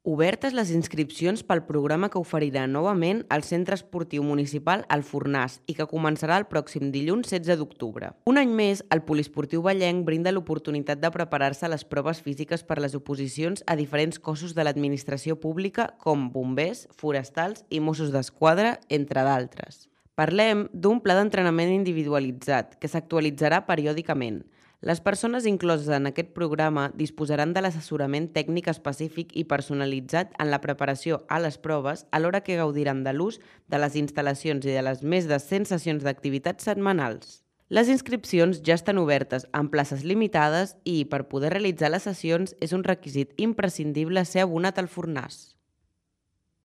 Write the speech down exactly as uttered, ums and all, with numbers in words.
Obertes les inscripcions pel programa que oferirà novament el Centre Esportiu Municipal El Fornàs i que començarà el pròxim dilluns setze d'octubre. Un any més, el Poliesportiu Vallenc brinda l'oportunitat de preparar-se a les proves físiques per les oposicions a diferents cossos de l'administració pública com bombers, forestals i Mossos d'Esquadra, entre d'altres. Parlem d'un pla d'entrenament individualitzat que s'actualitzarà periòdicament. Les persones incloses en aquest programa disposaran de l'assessorament tècnic específic i personalitzat en la preparació a les proves, alhora que gaudiran de l'ús de les instal·lacions i de les més de cent sessions d'activitats setmanals. Les inscripcions ja estan obertes amb places limitades i, per poder realitzar les sessions, és un requisit imprescindible ser abonat al Fornàs.